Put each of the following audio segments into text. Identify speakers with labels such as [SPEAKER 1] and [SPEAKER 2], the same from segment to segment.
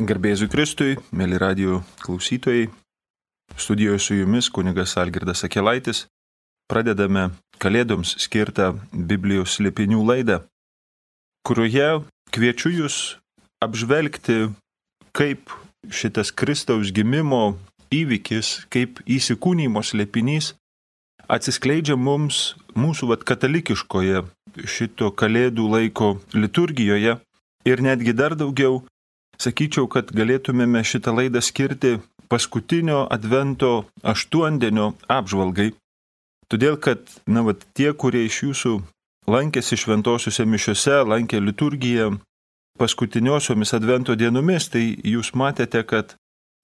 [SPEAKER 1] Garbėzui Kristui, mėly radijo klausytojai, studijoje su jumis kunigas Algirdas Akelaitis. Pradedame Kalėdoms skirtą Biblijos slėpinių laidą, kurioje kviečiu jūs apžvelgti, kaip šitas Kristaus gimimo įvykis, kaip įsikūnymo slėpinys atsiskleidžia mums mūsų katalikiškoje šito Kalėdų laiko liturgijoje ir netgi dar daugiau. Sakyčiau, kad galėtumėme šitą laidą skirti paskutinio advento aštuondienio apžvalgai. Todėl, kad tie, kurie iš jūsų lankėsi šventosiuose mišiuose, lankė liturgiją paskutiniosiomis advento dienomis, tai jūs matėte, kad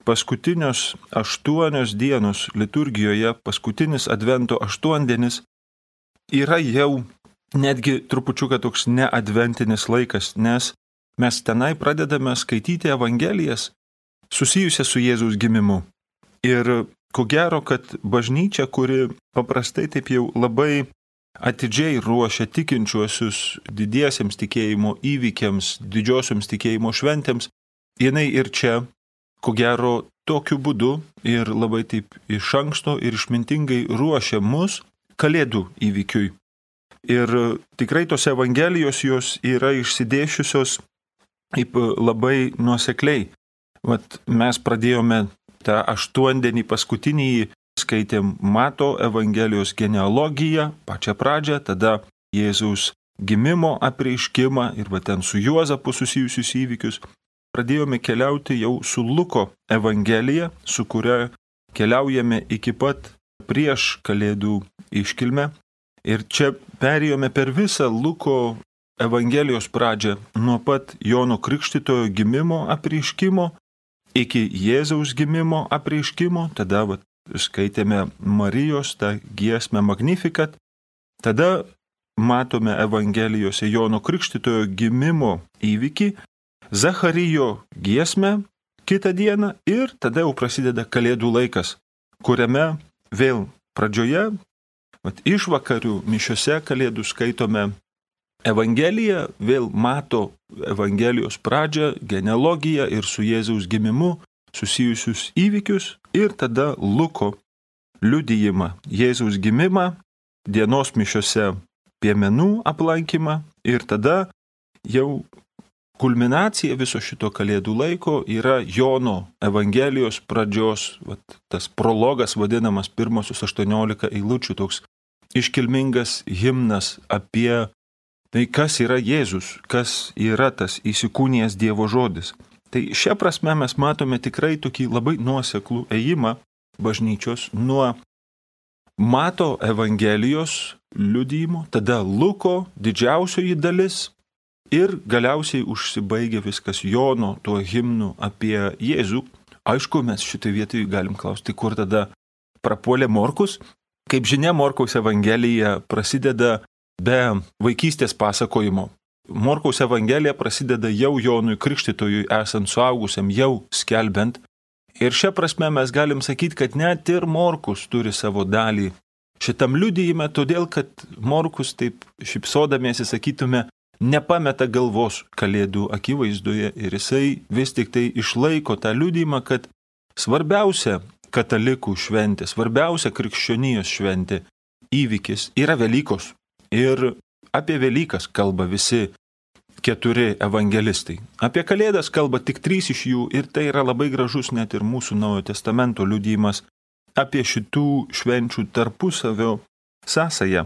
[SPEAKER 1] paskutinios 8 dienos liturgijoje, paskutinis advento aštuondienis yra jau netgi trupučiuką toks neadventinis laikas, nes mes tenai pradedame skaityti Evangelijas susijusias su Jėzaus gimimu. Ir ko gero, kad bažnyčia, kuri paprastai taip jau labai atidžiai ruošia tikinčiuosius didiesiems tikėjimo įvykiams, didžiosioms tikėjimo šventėms, jinai ir čia, ko gero, tokiu būdu ir labai taip iš anksto ir išmintingai ruošia mus Kalėdų įvykiui. Ir tikrai tos Evangelijos jos yra išsidėšiusios taip labai nuosekliai. Mes pradėjome tą aštuondienį paskutinį, skaitėm Mato Evangelijos genealogiją, pačią pradžią, tada Jėzaus gimimo apreiškimą ir ten su Juozapu susijusius įvykius. Pradėjome keliauti jau su Luko Evangelija, su kuria keliaujame iki pat prieš Kalėdų iškilmę. Ir čia perėjome per visą Luko Evangelijos pradžią, nuo pat Jono Krikštytojo gimimo apreiškimo iki Jėzaus gimimo apreiškimo, tada skaitėme Marijos tą giesmę Magnificat, tada matome Evangelijose Jono Krikštytojo gimimo įvykį, Zacharijo giesmę kitą dieną ir tada jau prasideda Kalėdų laikas, kuriame vėl pradžioje, išvakarių mišiuose Kalėdų skaitome Evangeliją, vėl Mato Evangelijos pradžią, genealogiją ir su Jėzaus gimimu susijusius įvykius ir tada Luko liudijimą, Jėzaus gimimą, dienos mišiuose piemenų aplankymą ir tada jau kulminacija viso šito Kalėdų laiko yra Jono Evangelijos pradžios, tas prologas vadinamas pirmosius 18 eilučių, toks iškilmingas himnas apie tai, kas yra Jėzus, kas yra tas įsikūnijęs Dievo žodis. Tai šia prasme mes matome tikrai tokį labai nuoseklų ėjimą bažnyčios nuo Mato Evangelijos liudijimo, tada Luko didžiausioji dalis ir galiausiai užsibaigia viskas Jono tuo himnu apie Jėzų. Aišku, mes šitai vietoj galim klausti, kur tada prapuolė Morkus. Kaip žinia, Morkaus Evangelija prasideda be vaikystės pasakojimo. Morkaus Evangelija prasideda jau Jonui Krikštytojui esant suaugusiam, jau skelbiant. Ir šia prasme mes galim sakyti, kad net ir Morkus turi savo dalį šitam liudijime, todėl kad Morkus, taip šypsodamiesi sakytume, nepameta galvos Kalėdų akivaizdoje ir jisai vis tik tai išlaiko tą liudijimą, kad svarbiausia katalikų šventė, svarbiausia krikščionijos šventė įvykis yra Velykos. Ir apie Velykas kalba visi 4 evangelistai. Apie Kalėdas kalba tik 3 iš jų ir tai yra labai gražus net ir mūsų Naujojo Testamento liudijimas apie šitų švenčių tarpusavio sąsają.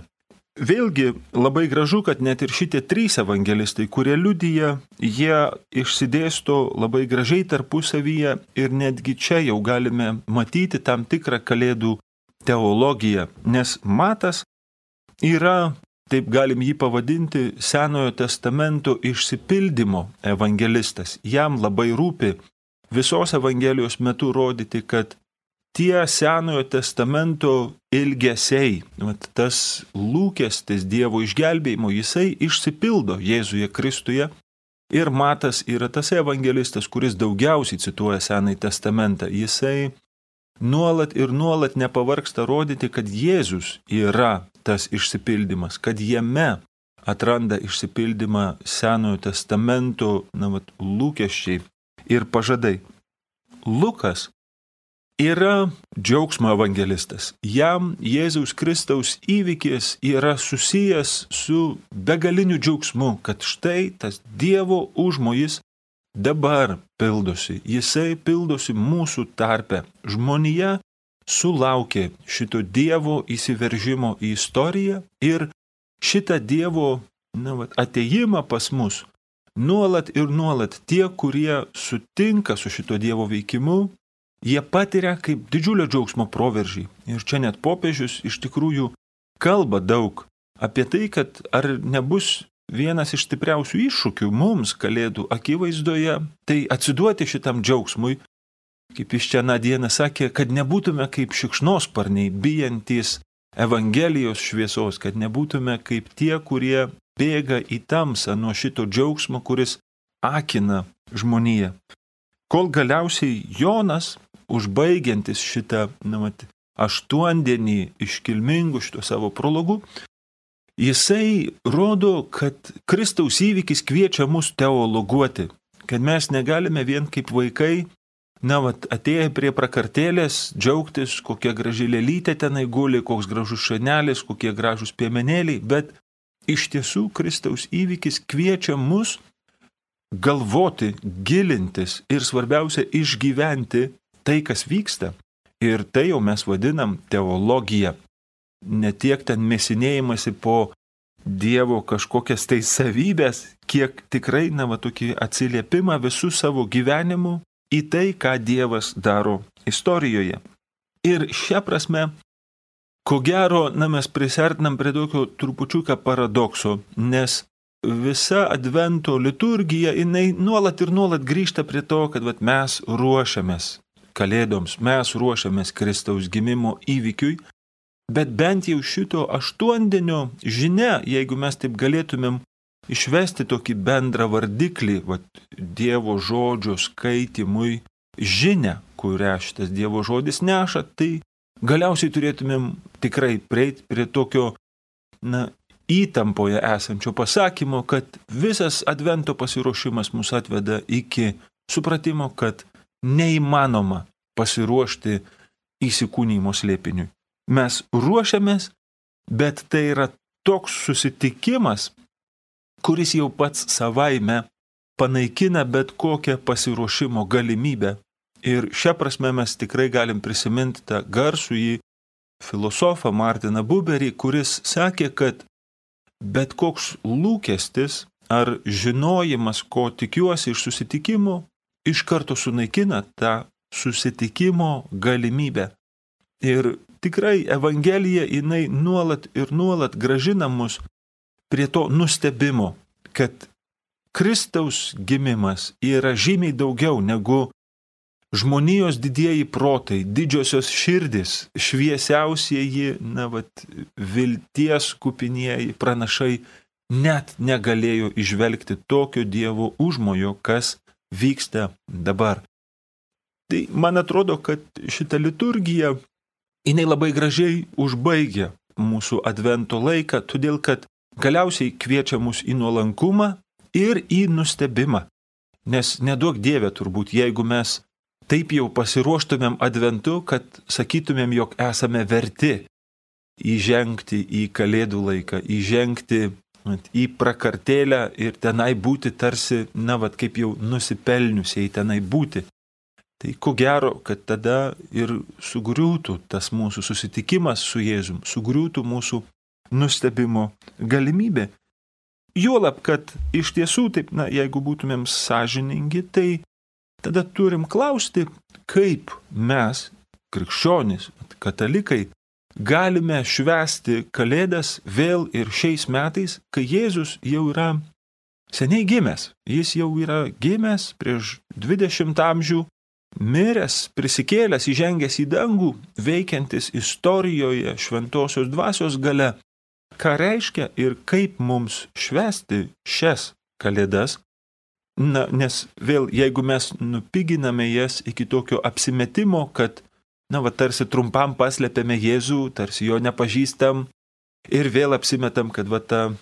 [SPEAKER 1] Vėlgi labai gražu, kad net ir šitie 3 evangelistai, kurie liudija, jie išsidėsto labai gražiai tarpusavyje ir netgi čia jau galime matyti tam tikrą Kalėdų teologiją, nes Matas yra, taip galim jį pavadinti, Senojo testamento išsipildymo evangelistas. Jam labai rūpi visos Evangelijos metu rodyti, kad tie Senojo testamento ilgesiai, tas lūkestis Dievo išgelbėjimo, jisai išsipildo Jėzuje Kristuje. Ir Matas yra tas evangelistas, kuris daugiausiai cituoja Senąjį testamentą. Jisai nuolat ir nuolat nepavargsta rodyti, kad Jėzus yra tas išsipildymas, kad jame atranda išsipildymą Senojo testamento lūkesčiai ir pažadai. Lukas yra džiaugsmo evangelistas. Jam Jėzaus Kristaus įvykis yra susijęs su begaliniu džiaugsmu, kad štai tas Dievo užmojis dabar pildosi. Jisai pildosi mūsų tarpe. Žmonija sulaukė šito Dievo įsiveržimo į istoriją ir šitą Dievo atėjimą pas mus nuolat ir nuolat tie, kurie sutinka su šito Dievo veikimu, jie patiria kaip didžiulio džiaugsmo proveržį. Ir čia net popiežius iš tikrųjų kalba daug apie tai, kad ar nebus vienas iš stipriausių iššūkių mums Kalėdų akivaizdoje, tai atsiduoti šitam džiaugsmui, kaip jis čia dieną sakė, kad nebūtume kaip šikšnosparniai, bijantys Evangelijos šviesos, kad nebūtume kaip tie, kurie bėga į tamsą nuo šito džiaugsmo, kuris akina žmoniją. Kol galiausiai Jonas, užbaigiantis šitą 8-dienį iškilmingų šito savo prologų, jisai rodo, kad Kristaus įvykis kviečia mus teologuoti, kad mes negalime vien kaip vaikai, atėję prie prakartėlės, džiaugtis, kokia graži lėlytė tenai guli, koks gražus šanelis, kokie gražus piemenėliai, bet iš tiesų Kristaus įvykis kviečia mus galvoti, gilintis ir svarbiausia išgyventi tai, kas vyksta. Ir tai jau mes vadinam teologija. Ne tiek ten mėsinėjimasi po Dievo kažkokias tai savybės, kiek tikrai tokį atsiliepimą visų savo gyvenimu į tai, ką Dievas daro istorijoje. Ir šią prasme, ko gero, mes prisartinam prie tokio trupučiuką paradokso, nes visa advento liturgija, jinai nuolat ir nuolat grįžta prie to, kad mes ruošiamės Kalėdoms, mes ruošiamės Kristaus gimimo įvykiui, bet bent jau šito 8-dienio žinia, jeigu mes taip galėtumėm išvesti tokį bendrą vardiklį, Dievo žodžio skaitimui žinią, kurią šitas Dievo žodis neša, tai galiausiai turėtumėm tikrai prieiti prie tokio, įtampoje esančio pasakymo, kad visas advento pasiruošimas mus atveda iki supratimo, kad neįmanoma pasiruošti įsikūnijimo slėpiniui. Mes ruošiamės, bet tai yra toks susitikimas, kuris jau pats savaime panaikina bet kokią pasiruošimo galimybę. Ir šią prasme mes tikrai galim prisiminti tą garsųjį filosofą Martiną Buberį, kuris sakė, kad bet koks lūkestis ar žinojimas, ko tikiuosi iš susitikimo, iš karto sunaikina tą susitikimo galimybę. Ir tikrai Evangelija, jinai nuolat ir nuolat grąžina mus prie to nustebimo, kad Kristaus gimimas yra žymiai daugiau negu žmonijos didieji protai, didžiosios širdis, šviesiausieji, vilties kupinieji pranašai net negalėjo įžvelgti tokio Dievo užmojo, kas vyksta dabar. Tai man atrodo, kad šita liturgija, jinai labai gražiai užbaigia mūsų advento laiką, todėl kad galiausiai kviečia mus į nuolankumą ir į nustebimą. Nes neduok Dieve turbūt, jeigu mes taip jau pasiruoštumėm adventu, kad sakytumėm, jog esame verti įžengti į Kalėdų laiką, įžengti į prakartėlę ir tenai būti tarsi, kaip jau nusipelniusiai tenai būti. Tai ko gero, kad tada ir sugriūtų tas mūsų susitikimas su Jėzum, sugriūtų mūsų nustebimo galimybė. Juolab, kad iš tiesų, taip, jeigu būtumėm sąžiningi, tai tada turim klausti, kaip mes, krikščionys, katalikai, galime švęsti Kalėdas vėl ir šiais metais, kai Jėzus jau yra seniai gimęs. Jis jau yra gimęs prieš 20 amžių, miręs, prisikėlęs, įžengęs į dangų, veikiantis istorijoje šventosios dvasios gale. Ką reiškia ir kaip mums švęsti šias Kalėdas? Nes vėl, jeigu mes nupiginame jas iki tokio apsimetimo, kad tarsi trumpam paslėpėme Jėzų, tarsi jo nepažįstam ir vėl apsimetam, kad ta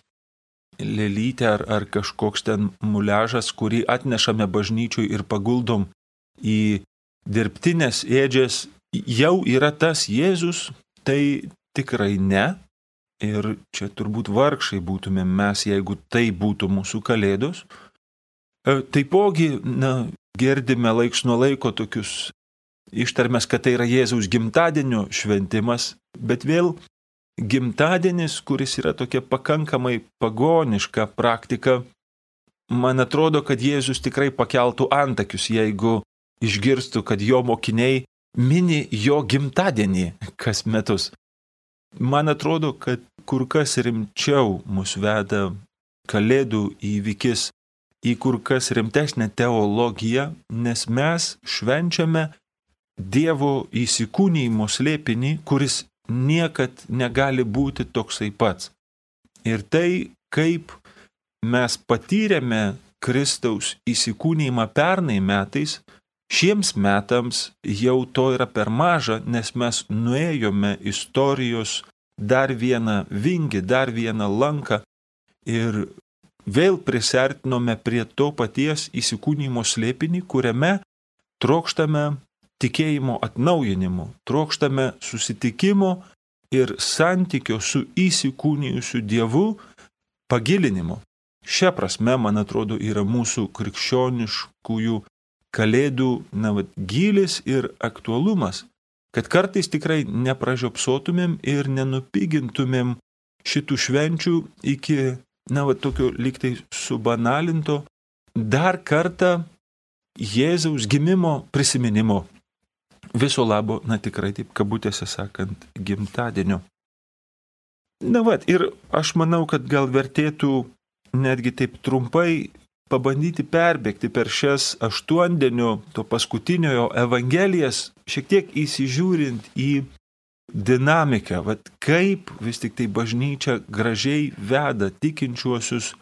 [SPEAKER 1] lėlytė ar kažkoks ten muliažas, kurį atnešame bažnyčiui ir paguldom į dirbtinės ėdžias, jau yra tas Jėzus, tai tikrai ne. Ir čia turbūt vargšai būtume mes, jeigu tai būtų mūsų kalėdos. Taipogi, girdime laiks nuo laiko tokius ištarmes, kad tai yra Jėzaus gimtadienio šventimas, bet vėl gimtadienis, kuris yra tokia pakankamai pagoniška praktika, man atrodo, kad Jėzus tikrai pakeltų antakius, jeigu išgirstų, kad jo mokiniai mini jo gimtadienį kas metus. Man atrodo, kad kur kas rimčiau mus veda kalėdų įvykis į kur kas rimtesnę teologiją, nes mes švenčiame Dievo įsikūnijimo slėpinį, kuris niekad negali būti toksai pats. Ir tai, kaip mes patyrėme Kristaus įsikūnijimą pernai metais, šiems metams jau to yra per maža, nes mes nuėjome istorijos dar vieną vingį, dar vieną lanką ir vėl prisertinome prie to paties įsikūnijimo slėpinį, kuriame trokštame tikėjimo atnaujinimo, trokštame susitikimo ir santykio su įsikūnijusiu Dievu pagilinimo. Šia prasme, man atrodo, yra mūsų krikščioniškųjų kalėdų gylis ir aktualumas, kad kartais tikrai nepražiopsotumėm ir nenupigintumėm šitų švenčių iki, tokio lygtai subanalinto dar kartą Jėzaus gimimo prisiminimo. Viso labo, tikrai taip kabutėse sakant, gimtadienio. Ir aš manau, kad gal vertėtų netgi taip trumpai pabandyti perbėgti per šias 8 dienų to paskutiniojo evangelijas, šiek tiek įsižiūrint į dinamiką, kaip vis tik tai bažnyčia gražiai veda tikinčiuosius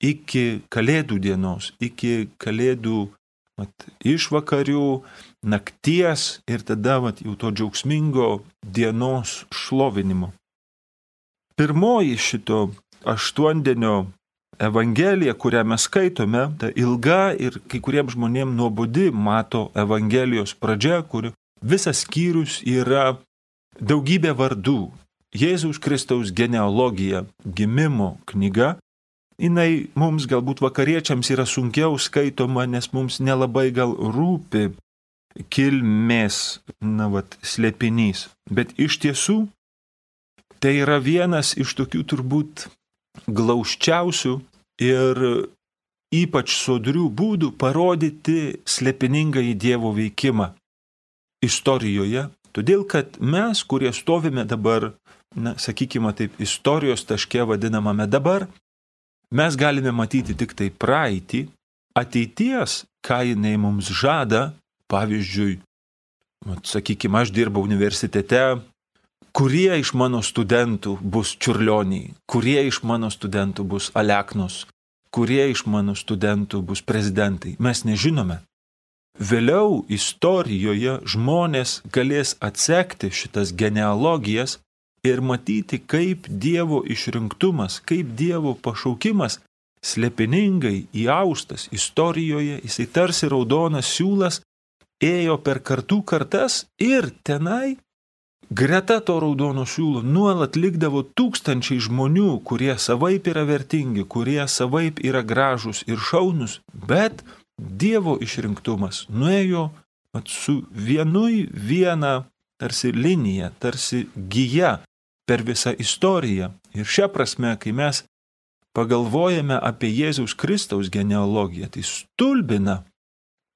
[SPEAKER 1] iki kalėdų dienos, iki kalėdų išvakarių, nakties ir tada jau to džiaugsmingo dienos šlovinimo. Pirmoji šito 8-dienio evangelija, kurią mes skaitome, ta ilga ir kai kuriems žmonėms nuobodi mato evangelijos pradžia, kur visas skyrius yra daugybė vardų. Jėzaus Kristaus genealogija, gimimo knyga. Jinai mums galbūt vakariečiams yra sunkiau skaitoma, nes mums nelabai gal rūpi kilmės, slėpinys. Bet iš tiesų, tai yra vienas iš tokių turbūt glaučiausių ir ypač sodrių būdų parodyti slėpiningąjį Dievo veikimą istorijoje. Todėl, kad mes, kurie stovime dabar, sakykime taip, istorijos taške vadinamame dabar, mes galime matyti tik tai praeitį, ateities, ką jinai mums žada. Pavyzdžiui, sakykime, aš dirbau universitete, kurie iš mano studentų bus čiurlioniai, kurie iš mano studentų bus Aleknos, kurie iš mano studentų bus prezidentai. Mes nežinome. Vėliau istorijoje žmonės galės atsekti šitas genealogijas ir matyti, kaip Dievo išrinktumas, kaip Dievo pašaukimas slėpiningai įaustas istorijoje, jisai tarsi raudonas siūlas ėjo per kartų kartas ir tenai greta to raudono siūlo nuolat likdavo tūkstančiai žmonių, kurie savaip yra vertingi, kurie savaip yra gražūs ir šaunus, bet Dievo išrinktumas nuėjo su viena tarsi linija, tarsi gija per visą istoriją. Ir šią prasme, kai mes pagalvojame apie Jėzaus Kristaus genealogiją, tai stulbina,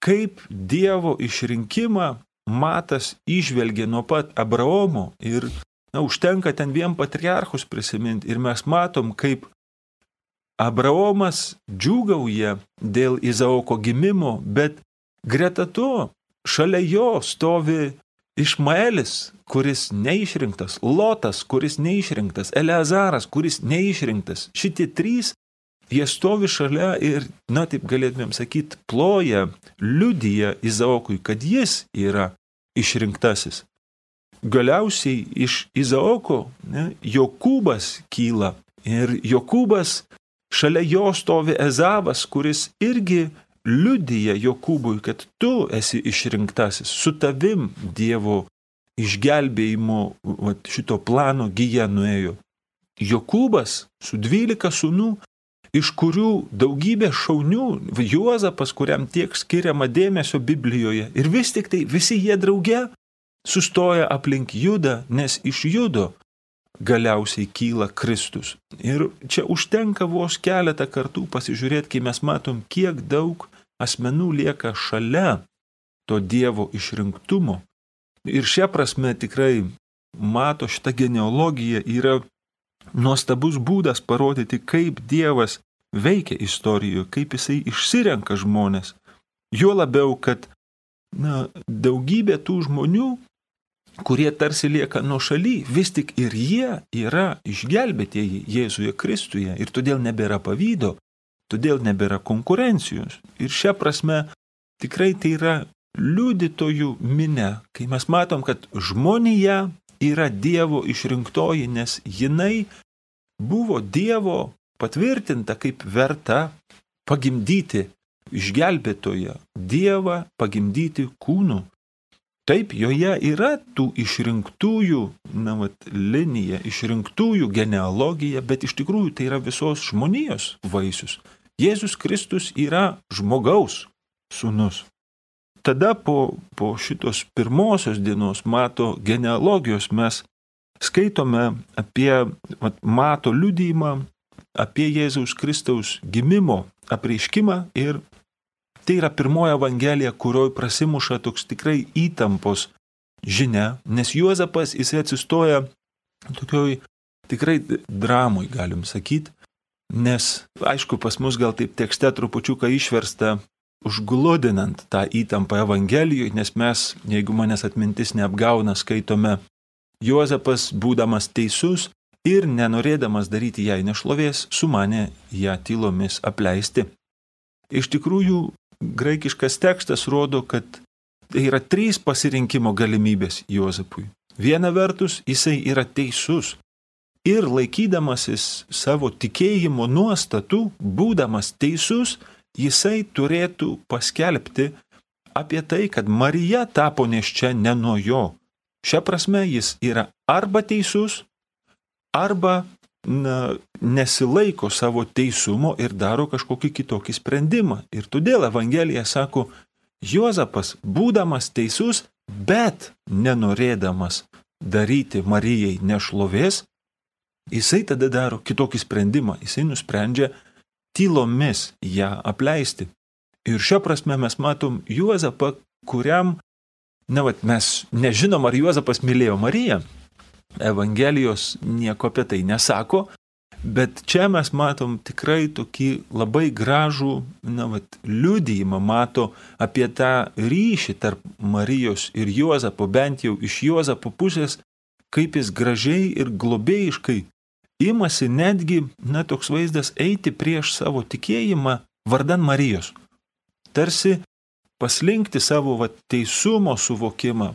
[SPEAKER 1] kaip Dievo išrinkimą Matas įžvelgė nuo pat Abraomo ir užtenka ten vien patriarchus prisiminti ir mes matom, kaip Abraomas džiūgauja dėl Izaoko gimimo, bet greta to šalia jo stovi Išmaelis, kuris neišrinktas, Lotas, kuris neišrinktas, Eleazaras, kuris neišrinktas. Šitie trys, jie stovi šalia ir, taip galėtumėm sakyti, ploja, liudija Izaokui, kad jis yra išrinktasis. Galiausiai iš Izaoko Jokūbas kyla ir Jokūbas šalia jo stovi Ezavas, kuris irgi liudija Jokūbui, kad tu esi išrinktasis, su tavim Dievo išgelbėjimo šito plano gija nuėjo. Jokūbas su 12 sūnų, iš kurių daugybė šaunių, Juozapas, kuriam tiek skiriama dėmesio Biblijoje, ir vis tik tai visi jie drauge sustoja aplink Judą, nes iš Judo galiausiai kyla Kristus. Ir čia užtenka vos keletą kartų pasižiūrėti, kai mes matom, kiek daug asmenų lieka šalia to Dievo išrinktumo. Ir šia prasme tikrai mato šitą genealogiją yra nuostabus būdas parodyti, kaip Dievas veikia istorijoje, kaip jisai išsirenka žmonės. Juo labiau, kad daugybė tų žmonių, kurie tarsi lieka nuošaly, vis tik ir jie yra išgelbėtieji Jėzuje Kristuje ir todėl nebėra pavydo, todėl nebėra konkurencijos. Ir šia prasme tikrai tai yra liudytojų minia, kai mes matom, kad žmonija yra Dievo išrinktoji, nes jinai buvo Dievo patvirtinta kaip verta pagimdyti išgelbėtoją, Dievą pagimdyti kūnu. Taip, joje yra tų išrinktųjų linija, išrinktųjų genealogija, bet iš tikrųjų tai yra visos žmonijos vaisius. Jėzus Kristus yra žmogaus sūnus. Tada po šitos pirmosios dienos Mato genealogijos mes skaitome apie Mato liudijimą, apie Jėzaus Kristaus gimimo apreiškimą ir tai yra pirmoji evangelija, kurioje prasimuša toks tikrai įtampos žinia, nes Juozapas jisai atsistoja tokioj tikrai dramoj, galim sakyti, nes aišku pas mus gal taip tekste trupučiuką išversta užgludinant tą įtampą Evangelijoje, nes mes, jeigu manęs atmintis neapgauna, skaitome Juozapas, būdamas teisus ir nenorėdamas daryti jai nešlovės, sumanė ją tylomis apleisti. Iš tikrųjų, graikiškas tekstas rodo, kad tai yra 3 pasirinkimo galimybės Juozapui. Viena vertus, jisai yra teisus ir laikydamasis savo tikėjimo nuostatų, būdamas teisus, jisai turėtų paskelbti apie tai, kad Marija tapo nėščia ne nuo jo. Šia prasme jis yra arba teisus, arba nesilaiko savo teisumo ir daro kažkokį kitokį sprendimą. Ir todėl Evangelija sako, Juozapas, būdamas teisus, bet nenorėdamas daryti Marijai nešlovės, jisai tada daro kitokį sprendimą. Jisai nusprendžia tylomis ją apleisti. Ir šia prasme mes matom Juozapą, kuriam, mes nežinom, ar Juozapas mylėjo Mariją. Evangelijos nieko apie tai nesako, bet čia mes matom tikrai tokį labai gražų, liudijimą mato apie tą ryšį tarp Marijos ir Juozapo, bent jau iš Juozapo pusės, kaip jis gražiai ir globėjiškai imasi netgi, toks vaizdas, eiti prieš savo tikėjimą vardan Marijos. Tarsi paslinkti savo teisumo suvokimą,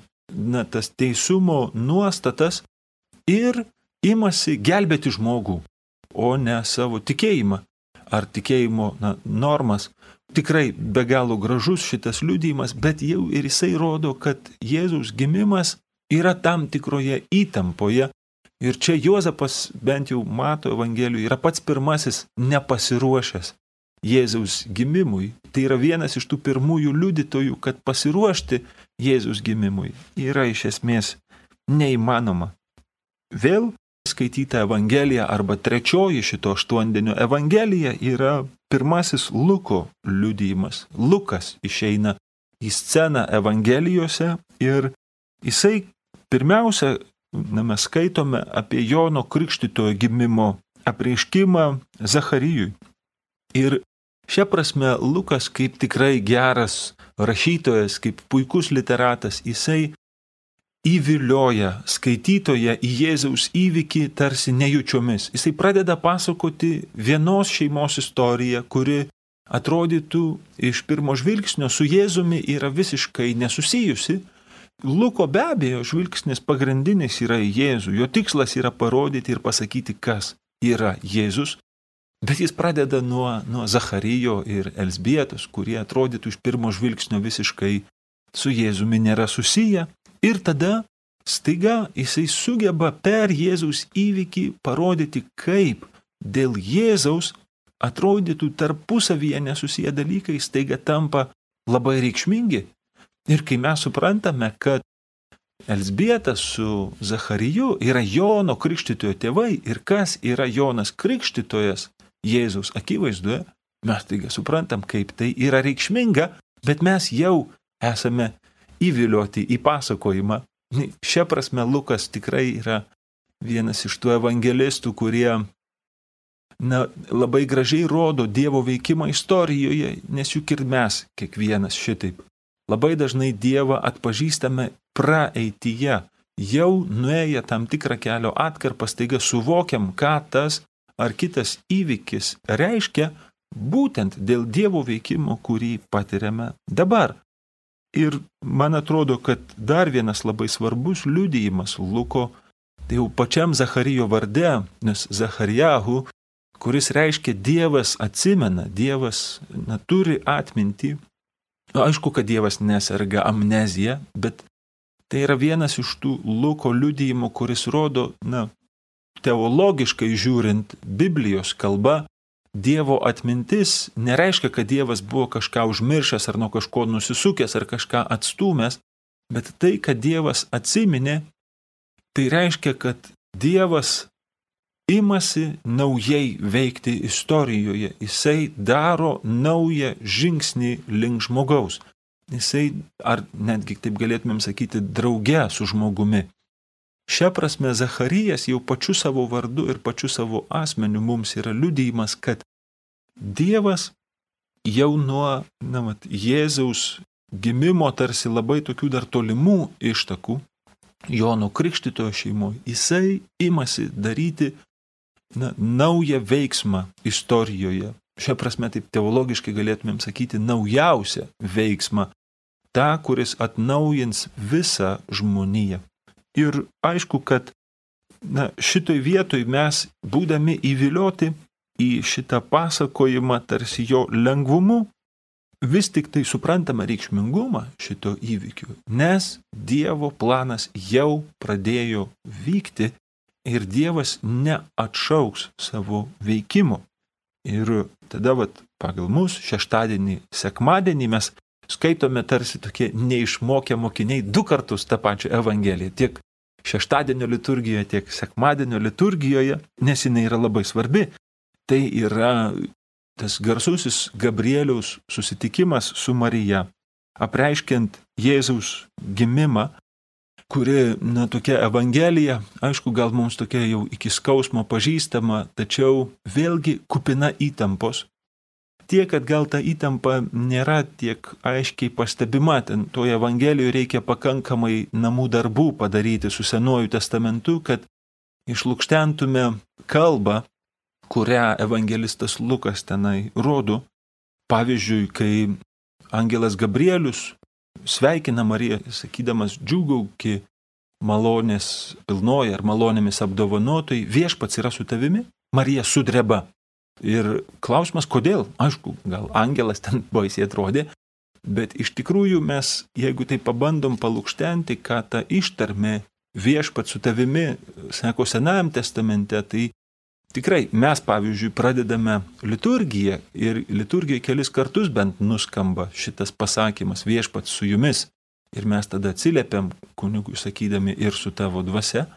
[SPEAKER 1] tas teisumo nuostatas ir imasi gelbėti žmogų, o ne savo tikėjimą ar tikėjimo normas. Tikrai be galo gražus šitas liudijimas, bet jau ir jisai rodo, kad Jėzaus gimimas yra tam tikroje įtampoje. Ir čia Juozapas, bent jau Mato Evangelijoje, yra pats pirmasis nepasiruošęs Jėzaus gimimui. Tai yra vienas iš tų pirmųjų liudytojų, kad pasiruošti Jėzaus gimimui yra iš esmės neįmanoma. Vėl skaityta Evangelija arba 3 šito 8-dienio Evangelija yra pirmasis Luko liudijimas. Lukas išeina į sceną Evangelijose ir jisai pirmiausia, mes skaitome apie Jono Krikštytojo gimimo apreiškimą Zacharijui. Ir šia prasme Lukas kaip tikrai geras rašytojas, kaip puikus literatas, jisai įvilioja skaitytoją į Jėzaus įvykį tarsi nejučiomis. Jisai pradeda pasakoti vienos šeimos istoriją, kuri atrodytų iš pirmo žvilgsnio su Jėzumi yra visiškai nesusijusi. Luko be abejo žvilgsnis pagrindinis yra į Jėzų. Jo tikslas yra parodyti ir pasakyti, kas yra Jėzus. Bet jis pradeda nuo Zacharijo ir Elzbietos, kurie atrodytų iš pirmo žvilgsnio visiškai su Jėzumi nėra susiję. Ir tada staiga jisai sugeba per Jėzaus įvykį parodyti, kaip dėl Jėzaus atrodytų tarpusavyje nesusiję dalykai staiga tampa labai reikšmingi. Ir kai mes suprantame, kad Elzbietas su Zachariju yra Jono Krikštytojo tėvai ir kas yra Jonas Krikštytojas Jėzaus akivaizdoje, mes taiga suprantam, kaip tai yra reikšminga, bet mes jau esame įvilioti į pasakojimą. Šia prasme Lukas tikrai yra vienas iš tų evangelistų, kurie labai gražiai rodo Dievo veikimą istorijoje, nes juk ir mes kiekvienas šitaip. Labai dažnai Dievą atpažįstame praeityje, jau nuėję tam tikrą kelio atkarpą, staiga suvokiam, ką tas ar kitas įvykis reiškia būtent dėl Dievo veikimo, kurį patiriame dabar. Ir man atrodo, kad dar vienas labai svarbus liudijimas Luko, tai jau pačiam Zacharijo varde, nes Zacharijahu, kuris reiškia Dievas atsimena, Dievas turi atmintį. Aišku, kad Dievas neserga amnezija, bet tai yra vienas iš tų Luko liudijimų, kuris rodo, teologiškai žiūrint Biblijos kalba, Dievo atmintis nereiškia, kad Dievas buvo kažką užmiršęs ar nuo kažko nusisukęs ar kažką atstūmęs, bet tai, kad Dievas atsiminė, tai reiškia, kad Dievas imasi naujai veikti istorijoje. Jisai daro naują žingsnį link žmogaus. Jisai, ar netgi taip galėtumėm sakyti, drauge su žmogumi. Šia prasme Zacharijas jau pačiu savo vardu ir pačiu savo asmeniu mums yra liudijimas, kad Dievas jau nuo Jėzaus gimimo tarsi labai tokių dar tolimų ištakų Jono Krikštytojo šeimoje, jisai imasi daryti naują veiksmą istorijoje. Šia prasme taip teologiškai galėtumėm sakyti naujausią veiksmą, tą, kuris atnaujins visą žmoniją. Ir aišku, kad šitoj vietoj mes, būdami įvilioti į šitą pasakojimą tarsi jo lengvumu, vis tik tai suprantame reikšmingumą šito įvykio, nes Dievo planas jau pradėjo vykti ir Dievas neatšauks savo veikimo. Ir tada pagal mus šeštadienį, sekmadienį mes skaitome tarsi tokie neišmokę mokiniai 2 kartus tą pačią Evangeliją, tiek šeštadienio liturgijoje, tiek sekmadienio liturgijoje, nes jinai yra labai svarbi. Tai yra tas garsusis Gabrieliaus susitikimas su Marija, apreiškiant Jėzaus gimimą, kuri, tokia Evangelija, aišku, gal mums tokia jau iki skausmo pažįstama, tačiau vėlgi kupina įtampos. Tiek, kad gal ta įtampa nėra tiek aiškiai pastebima, ten toje Evangelijoje reikia pakankamai namų darbų padaryti su Senuoju testamentu, kad išlukštentume kalbą, kurią evangelistas Lukas tenai rodo. Pavyzdžiui, kai angelas Gabrielius sveikina Mariją, sakydamas džiūgauki malonės pilnoji ar malonėmis apdovanotojai, viešpats yra su tavimi, Marija sudreba. Ir klausimas, kodėl? Aišku, gal angelas ten baisiai atrodė, bet iš tikrųjų mes, jeigu tai pabandom palukštenti, ką ta ištarmė viešpats su tavimi, sako Senajam testamente, tai tikrai mes, pavyzdžiui, pradedame liturgiją ir liturgijoje kelis kartus bent nuskamba šitas pasakymas viešpats su jumis. Ir mes tada atsiliepiam kunigui sakydami ir su tavo dvasia.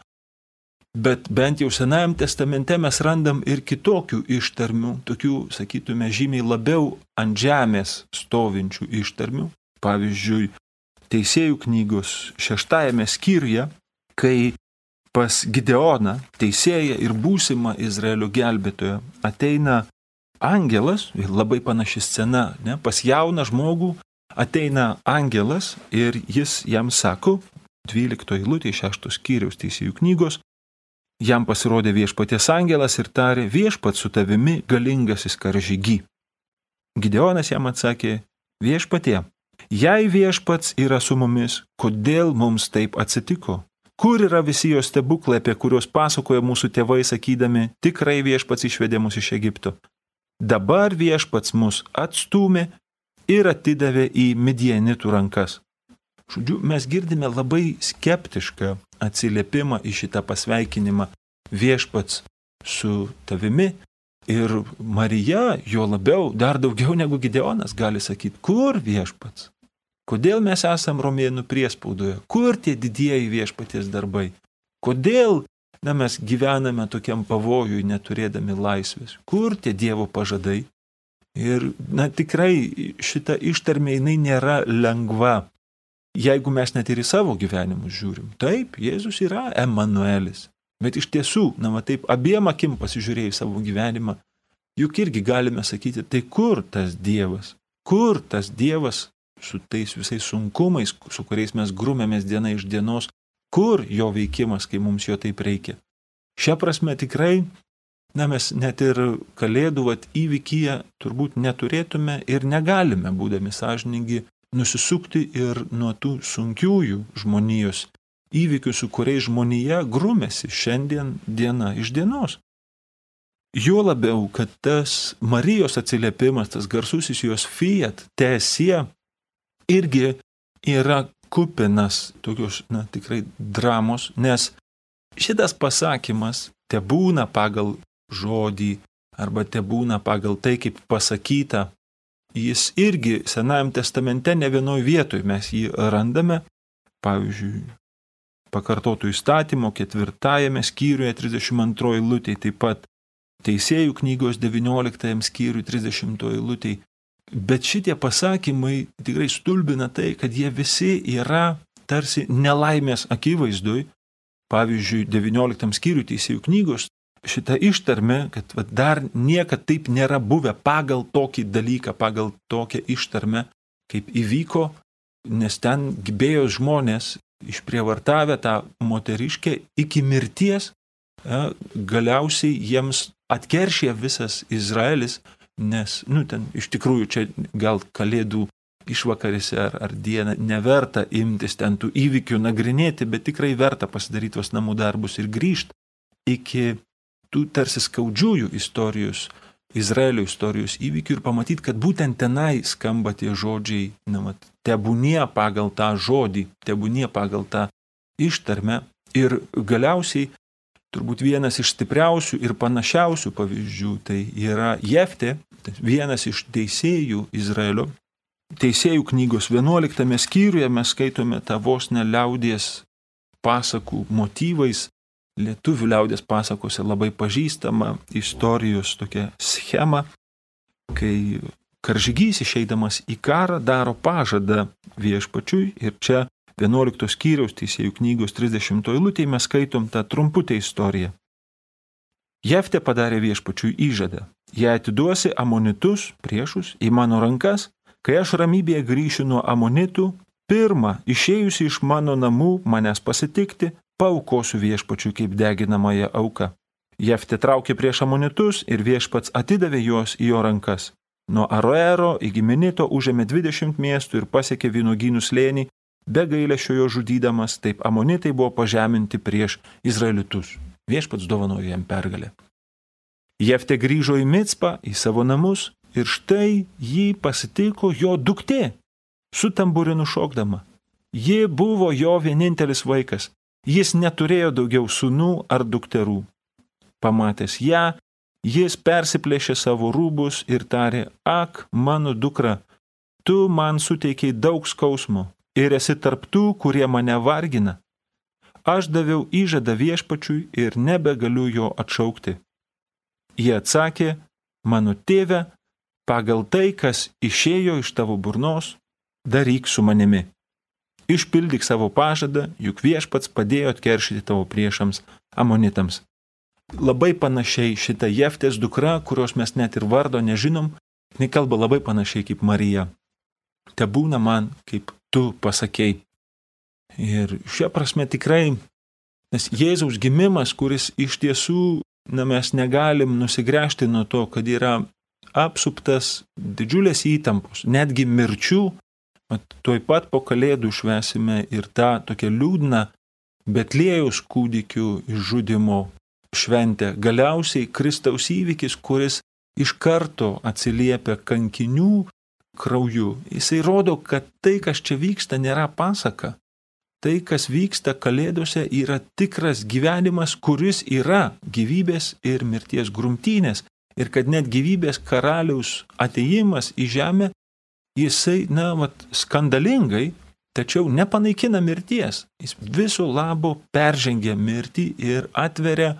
[SPEAKER 1] Bet bent jau Senajam testamente mes randam ir kitokių ištarmių, tokių, sakytume, žymiai labiau ant žemės stovinčių ištarmių. Pavyzdžiui, Teisėjų knygos 6 skyriuje, kai pas Gideoną, teisėją ir būsimą Izraelio gelbėtoją, ateina angelas, labai panaši scena, pas jauną žmogų ateina angelas ir jis jam sako, 12 eilutė 6 skyriaus Teisėjų knygos, jam pasirodė viešpaties angelas ir tarė, viešpats su tavimi galingasis karžygy. Gideonas jam atsakė, viešpatie, jei viešpats yra su mumis, kodėl mums taip atsitiko? Kur yra visi jo stebuklai, apie kuriuos pasakoja mūsų tėvai, sakydami, tikrai viešpats išvedė mus iš Egipto? Dabar Viešpats mus atstūmė ir atidavė į Midianitų rankas. Žodžiu, mes girdime labai skeptišką atsiliepimą į šitą pasveikinimą. Viešpats su tavimi ir Marija, jo labiau, dar daugiau negu Gideonas gali sakyti, kur Viešpats? Kodėl mes esam romėnų priespaudoje? Kur tie didieji Viešpaties darbai? Kodėl mes gyvename tokiam pavojui, neturėdami laisvės? Kur tie Dievo pažadai? Ir tikrai šita ištarmė jinai nėra lengva. Jeigu mes net ir į savo gyvenimus žiūrim, taip, Jėzus yra Emanuelis. Bet iš tiesų, taip abiem akim pasižiūrėjus savo gyvenimą, juk irgi galime sakyti, tai kur tas Dievas? Kur tas Dievas su tais visais sunkumais, su kuriais mes grumėmės diena iš dienos, kur jo veikimas, kai mums jo taip reikia? Šia prasme tikrai, mes net ir Kalėdų įvykyje turbūt neturėtume ir negalime, būdami sąžiningi, nusisukti ir nuo tų sunkiųjų žmonijos įvykių, su kuriais žmonija grumėsi šiandien diena iš dienos. Juo labiau, kad tas Marijos atsiliepimas, tas garsusis jos fiat, teesie, irgi yra kupinas tokios, tikrai dramos, nes šitas pasakymas tebūna pagal žodį arba tebūna pagal tai, kaip pasakyta, jis irgi Senajam testamente ne vienoj vietoj mes jį randame, pavyzdžiui, Pakartotų įstatymo 4 skyriuje 32 eilutėje, taip pat Teisėjų knygos 19 skyriuje 30 eilutėje. Bet šitie pasakymai tikrai stulbina tai, kad jie visi yra tarsi nelaimės akivaizdui. Pavyzdžiui, 19 skyriuje Teisėjų knygos šita ištarmė, kad dar niekad taip nėra buvę pagal tokį dalyką, pagal tokią ištarmę, kaip įvyko, nes ten gibėjos žmonės išprievartavę tą moteriškę iki mirties, galiausiai jiems atkeršė visas Izraelis, nes, ten iš tikrųjų čia gal Kalėdų išvakarėse ar dieną neverta imtis ten tų įvykių nagrinėti, bet tikrai verta pasidaryti tuos namų darbus ir grįžti iki tų tarsi skaudžiųjų istorijos, Izraelio istorijos įvykių ir pamatyti, kad būtent tenai skamba tie žodžiai, tebūnie pagal tą žodį, tebūnie pagal tą ištarmę. Ir galiausiai, turbūt vienas iš stipriausių ir panašiausių pavyzdžių, tai yra Jeftė, vienas iš teisėjų Izraelio. Teisėjų knygos 11 skyriuje mes skaitome tą vos ne liaudies pasakų motyvais, lietuvių liaudės pasakose labai pažįstama istorijos tokia schema, kai karžygys išeidamas į karą daro pažadą Viešpačiui ir čia 11 skyriaus Teisėjų knygos 30 eilutėje mes skaitom tą trumputę istoriją. Jeftė padarė Viešpačiui įžadą, jei atiduosi amonitus, priešus, į mano rankas, kai aš ramybėje grįšiu nuo amonitų, pirmą išėjusi iš mano namų manęs pasitikti, paaukosiu Viešpačiui kaip deginamąją auką. Jeftė traukė prieš amonitus ir Viešpats atidavė juos į jo rankas. Nuo Aroero iki Minito užėmė 20 miestų ir pasiekė vynuogynų slėnį, be gailesčio jo žudydamas, taip amonitai buvo pažeminti prieš Izraelitus. Viešpats dovanojo jam pergalę. Jeftė grįžo į Micpą, į savo namus ir štai jį pasitiko jo duktė, su tamburinu šokdama. Ji buvo jo vienintelis vaikas. Jis neturėjo daugiau sūnų ar dukterų. Pamatęs ją, jis persiplėšė savo rūbus ir tarė, ak, mano dukra, tu man suteikiai daug skausmo ir esi tarp tų, kurie mane vargina. Aš daviau įžadą Viešpačiui ir nebegaliu jo atšaukti. Jie atsakė, mano tėve, pagal tai, kas išėjo iš tavo burnos, daryk su manimi. Išpildyk savo pažadą, juk Viešpats padėjo atkeršyti tavo priešams amonitams. Labai panašiai šita Jeftės dukra, kurios mes net ir vardo nežinom, jinai kalba labai panašiai kaip Marija. Tebūna man, kaip tu pasakei. Ir šia prasme tikrai, nes Jėzaus gimimas, kuris iš tiesų, mes negalim nusigręžti nuo to, kad yra apsuptas didžiulės įtampos, netgi mirčių. Tuoj pat po Kalėdų švęsime ir tą tokią liūdną Betliejaus kūdikių išžudimo šventę. Galiausiai Kristaus įvykis, kuris iš karto atsiliepia kankinių krauju. Jisai rodo, kad tai, kas čia vyksta, nėra pasaka. Tai, kas vyksta Kalėdose, yra tikras gyvenimas, kuris yra gyvybės ir mirties grumtynės. Ir kad net gyvybės karaliaus atėjimas į žemę, jisai, skandalingai, tačiau nepanaikina mirties. Jis viso labo peržengia mirtį ir atveria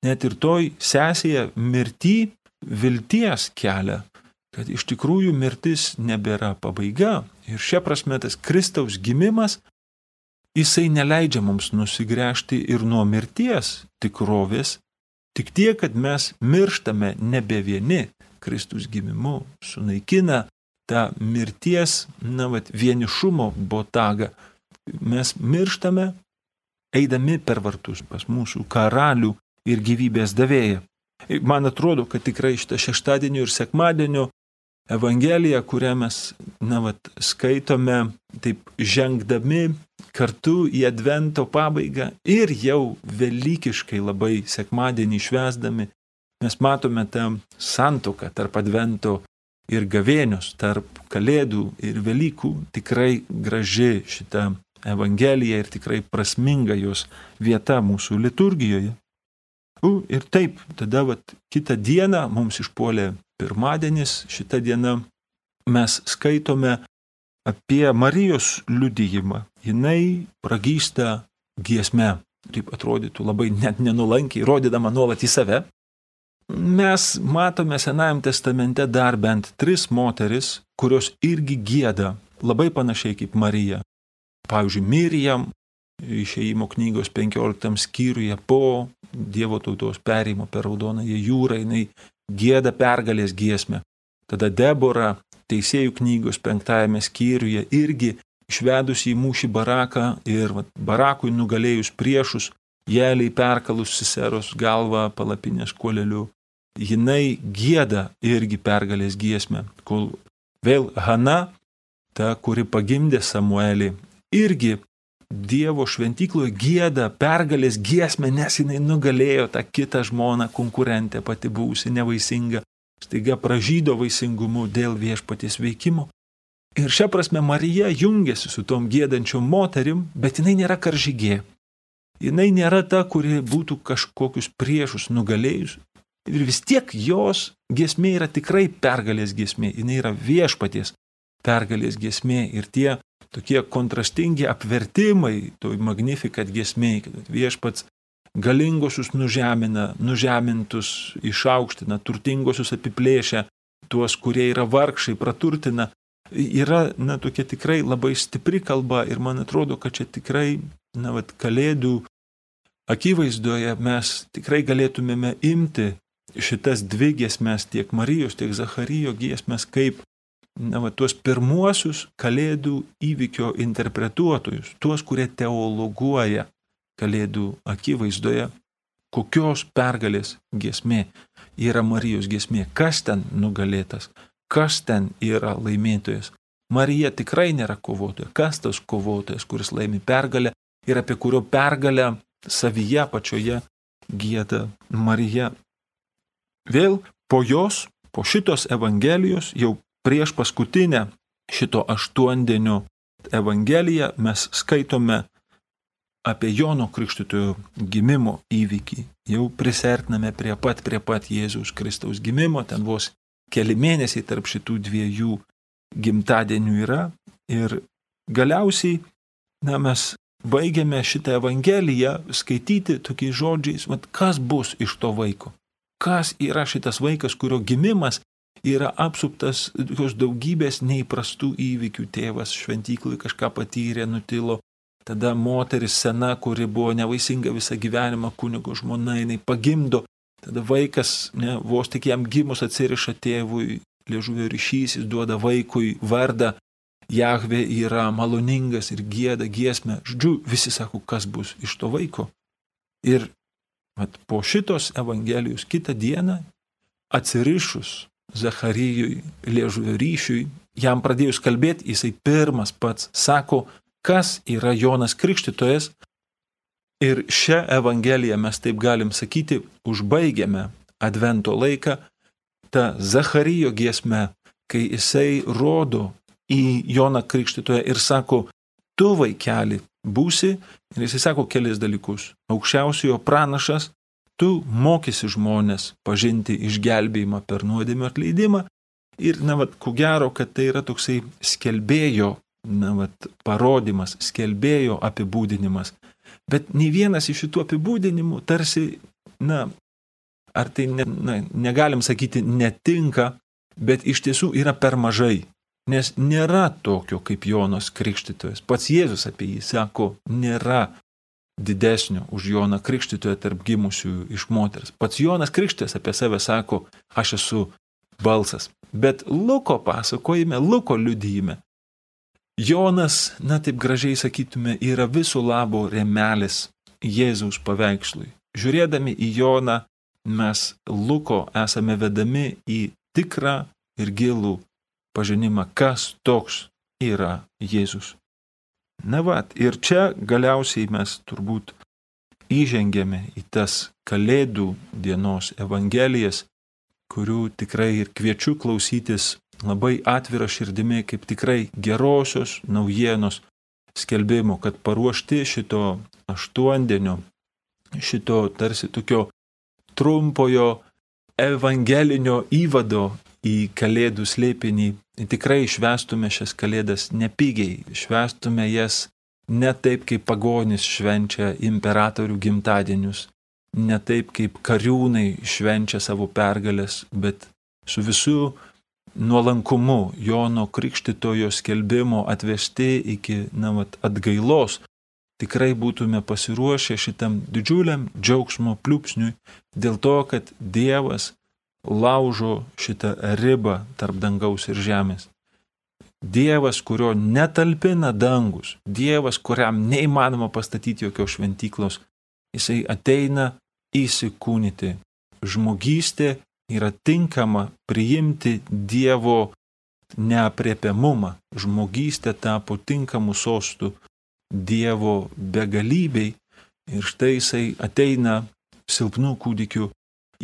[SPEAKER 1] net ir toj sesėje mirtį vilties kelią, kad iš tikrųjų mirtis nebėra pabaiga. Ir šia prasme tas Kristaus gimimas, jisai neleidžia mums nusigręžti ir nuo mirties tikrovės, tik tiek, kad mes mirštame nebe vieni. Kristus gimimu sunaikina tą mirties, vienišumo botagą. Mes mirštame, eidami per vartus pas mūsų karalių ir gyvybės davėją. Man atrodo, kad tikrai šitą šeštadienio ir sekmadienio Evangeliją, kurią mes skaitome, taip žengdami kartu į Advento pabaigą ir jau velykiškai labai sekmadienį švęsdami, mes matome tą santuoką tarp Advento ir gavėnios, tarp Kalėdų ir Velykų. Tikrai graži šita Evangelija ir tikrai prasminga jos vieta mūsų liturgijoje. Ir taip, tada kitą dieną mums išpuolė pirmadienis, šitą dieną mes skaitome apie Marijos liudijimą. Jinai pragysta giesme, taip atrodytų labai net nenulankiai, rodydama nuolat į save. Mes matome Senajame testamente dar bent 3 moteris, kurios irgi gieda, labai panašiai kaip Marija. Pavyzdžiui, Mirijam, Išėjimo knygos 15 skyriuje po Dievo tautos perėjimo per Raudonąją jūrą, jinai gieda pergalės giesmę. Tada Debora, Teisėjų knygos 5 skyriuje, irgi išvedusi į mūšį Baraką ir Barakui nugalėjus priešus, Jeliai perkalus Siseros galvą palapinės kuoleliu, jinai gieda irgi pergalės giesmę. Kol vėl Hana, ta, kuri pagimdė Samuelį, irgi Dievo šventykloje gieda pergalės giesmę, nes jinai nugalėjo tą kitą žmoną, konkurentę, pati buvusi nevaisinga, staiga pražydo vaisingumu dėl viešpaties veikimo. Ir šia prasme Marija jungiasi su tom giedančiom moterim, bet jinai nėra karžygė. Jinai nėra ta, kuri būtų kažkokius priešus nugalėjus. Ir vis tiek jos giesmė yra tikrai pergalės giesmė. Jinai yra viešpaties pergalės giesmė. Ir tie tokie kontrastingi apvertimai, toj Magnificat giesmėj, kad viešpats galingosius nužemina, nužemintus išaukština, turtingosius apiplėšia, tuos, kurie yra vargšai, praturtina. Yra, tokia tikrai labai stipri kalba ir man atrodo, kad čia tikrai, Kalėdų akivaizdoje mes tikrai galėtumėme imti šitas 2 giesmes, tiek Marijos, tiek Zacharijo giesmes, kaip tuos pirmuosius Kalėdų įvykio interpretuotojus, tuos, kurie teologuoja Kalėdų akivaizdoje, kokios pergalės giesmė yra Marijos giesmė, kas ten nugalėtas, kas ten yra laimėtojas. Marija tikrai nėra kovotoja, kas tas kovotojas, kuris laimi pergalę ir apie kurio pergalę savyje pačioje gieda Marija. Vėl po jos, po šitos Evangelijos, jau prieš paskutinę šito 8-dienio Evangeliją mes skaitome apie Jono Krikštytojo gimimo įvykį. Jau prisertiname prie pat Jėzaus Kristaus gimimo, ten vos keli mėnesiai tarp šitų 2 gimtadienių yra. Ir galiausiai mes baigiame šitą Evangeliją skaityti tokiais žodžiais, kas bus iš to vaiko. Kas yra šitas vaikas, kurio gimimas yra apsuptas tokios daugybės neįprastų įvykių. Tėvas šventyklui kažką patyrė, nutilo. Tada moteris sena, kuri buvo nevaisinga visą gyvenimą, kunigo žmona, jinai pagimdo. Tada vaikas, vos tik jam gimus atsiriša tėvui liežuvio ryšys, jis duoda vaikui vardą. Jahvė yra maloningas ir gieda giesmę. Žodžiu, visi sako, kas bus iš to vaiko. Ir po šitos Evangelijos kitą dieną atsirišus Zacharijui liežuvio ryšiui, jam pradėjus kalbėti, jisai pirmas pats sako, kas yra Jonas Krikštytojas. Ir šią Evangeliją mes taip galim sakyti, užbaigiame Advento laiką ta Zacharijo giesme, kai jisai rodo į Joną Krikštytoją ir sako, tu vaikeli būsi, ir jisai sako kelis dalykus. Aukščiausiojo pranašas, tu mokysi žmonės pažinti išgelbėjimą per nuodėmių atleidimą. Ir, ko gero, kad tai yra toksai skelbėjo, parodimas, skelbėjo apibūdinimas. Bet nei vienas iš šitų apibūdinimų tarsi, ar tai negalim sakyti netinka, bet iš tiesų yra per mažai. Nes nėra tokio kaip Jonas Krikštytojas. Pats Jėzus apie jį sako, nėra didesnio už Joną Krikštytoją tarp gimusių iš moters. Pats Jonas Krikštytojas apie save sako, aš esu balsas. Bet Luko pasakojime, Luko liudijime, Jonas, taip gražiai sakytume, yra viso labo rėmelis Jėzaus paveikslui. Žiūrėdami į Joną, mes Luko esame vedami į tikrą ir gilų pažinimą, kas toks yra Jėzus. Ir čia galiausiai mes turbūt įžengėme į tas Kalėdų dienos evangelijas, kurių tikrai ir kviečiu klausytis labai atvira širdimi, kaip tikrai gerosios naujienos skelbimo, kad paruošti šito aštuondienio, šito tarsi tokio trumpojo evangelinio įvado į Kalėdų slėpinį, tikrai švęstume šias Kalėdas nepigiai, švęstume jas ne taip, kaip pagonys švenčia imperatorių gimtadienius, ne taip, kaip kariūnai švenčia savo pergalės, bet su visų nuolankumu Jono Krikštytojo skelbimo atvesti iki atgailos, tikrai būtume pasiruošę šitam didžiuliam džiaugsmo pliūpsniui dėl to, kad Dievas laužo šitą ribą tarp dangaus ir žemės. Dievas, kurio netalpina dangus, Dievas, kuriam neįmanoma pastatyti jokios šventyklos, jisai ateina įsikūnyti. Žmogystė yra tinkama priimti Dievo neaprėpiamumą. Žmogystė tapo tinkamu sostu Dievo begalybei ir štai jisai ateina silpnų kūdikių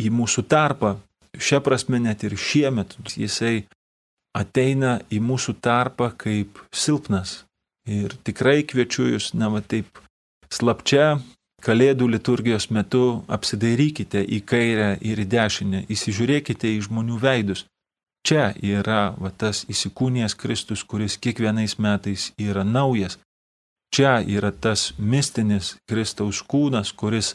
[SPEAKER 1] į mūsų tarpą. Šia prasme net ir šiemet jisai ateina į mūsų tarpą kaip silpnas. Ir tikrai kviečiu jūs, taip slapčia Kalėdų liturgijos metu apsidairykite į kairę ir į dešinę, įsižiūrėkite į žmonių veidus. Čia yra tas įsikūnijęs Kristus, kuris kiekvienais metais yra naujas. Čia yra tas mistinis Kristaus kūnas, kuris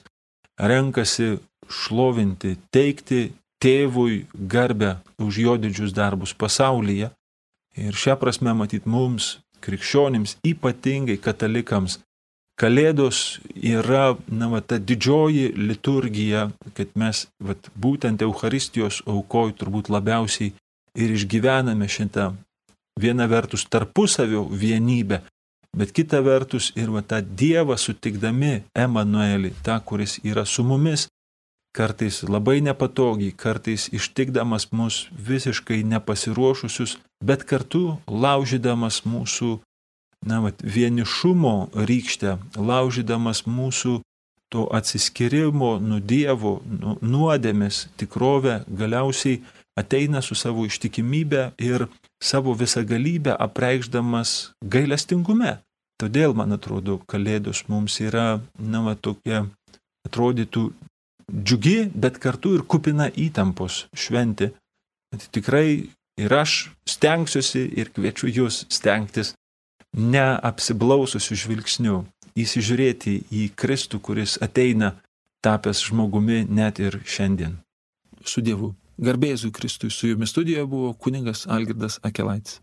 [SPEAKER 1] renkasi šlovinti, teikti Tėvui garbę už jo didžius darbus pasaulyje. Ir šią prasme matyt mums, krikščionims, ypatingai katalikams, Kalėdos yra ta didžioji liturgija, kad mes būtent Eucharistijos aukoj turbūt labiausiai ir išgyvename šitą viena vertus tarpusavio vienybę, bet kita vertus ir tą Dievą sutikdami Emanuelį, tą, kuris yra su mumis, kartais labai nepatogiai, kartais ištikdamas mus visiškai nepasiruošusius, bet kartu laužydamas mūsų vienišumo rykštę, laužydamas mūsų to atsiskyrimo nuo Dievo, nuodėmės tikrovę, galiausiai ateina su savo ištikimybė ir savo visagalybę apreikšdamas gailestingume. Todėl, man atrodo, Kalėdos mums yra, tokia, atrodytų, džiugi, bet kartu ir kupina įtampos šventė. Tikrai ir aš stengsiuosi ir kviečiu jūs stengtis neapsiblaususiu žvilgsniu, įsižiūrėti į Kristų, kuris ateina tapęs žmogumi net ir šiandien. Su Dievu. Garbė Jėzui Kristui, su jumis studijoje buvo kunigas Algirdas Akelaitis.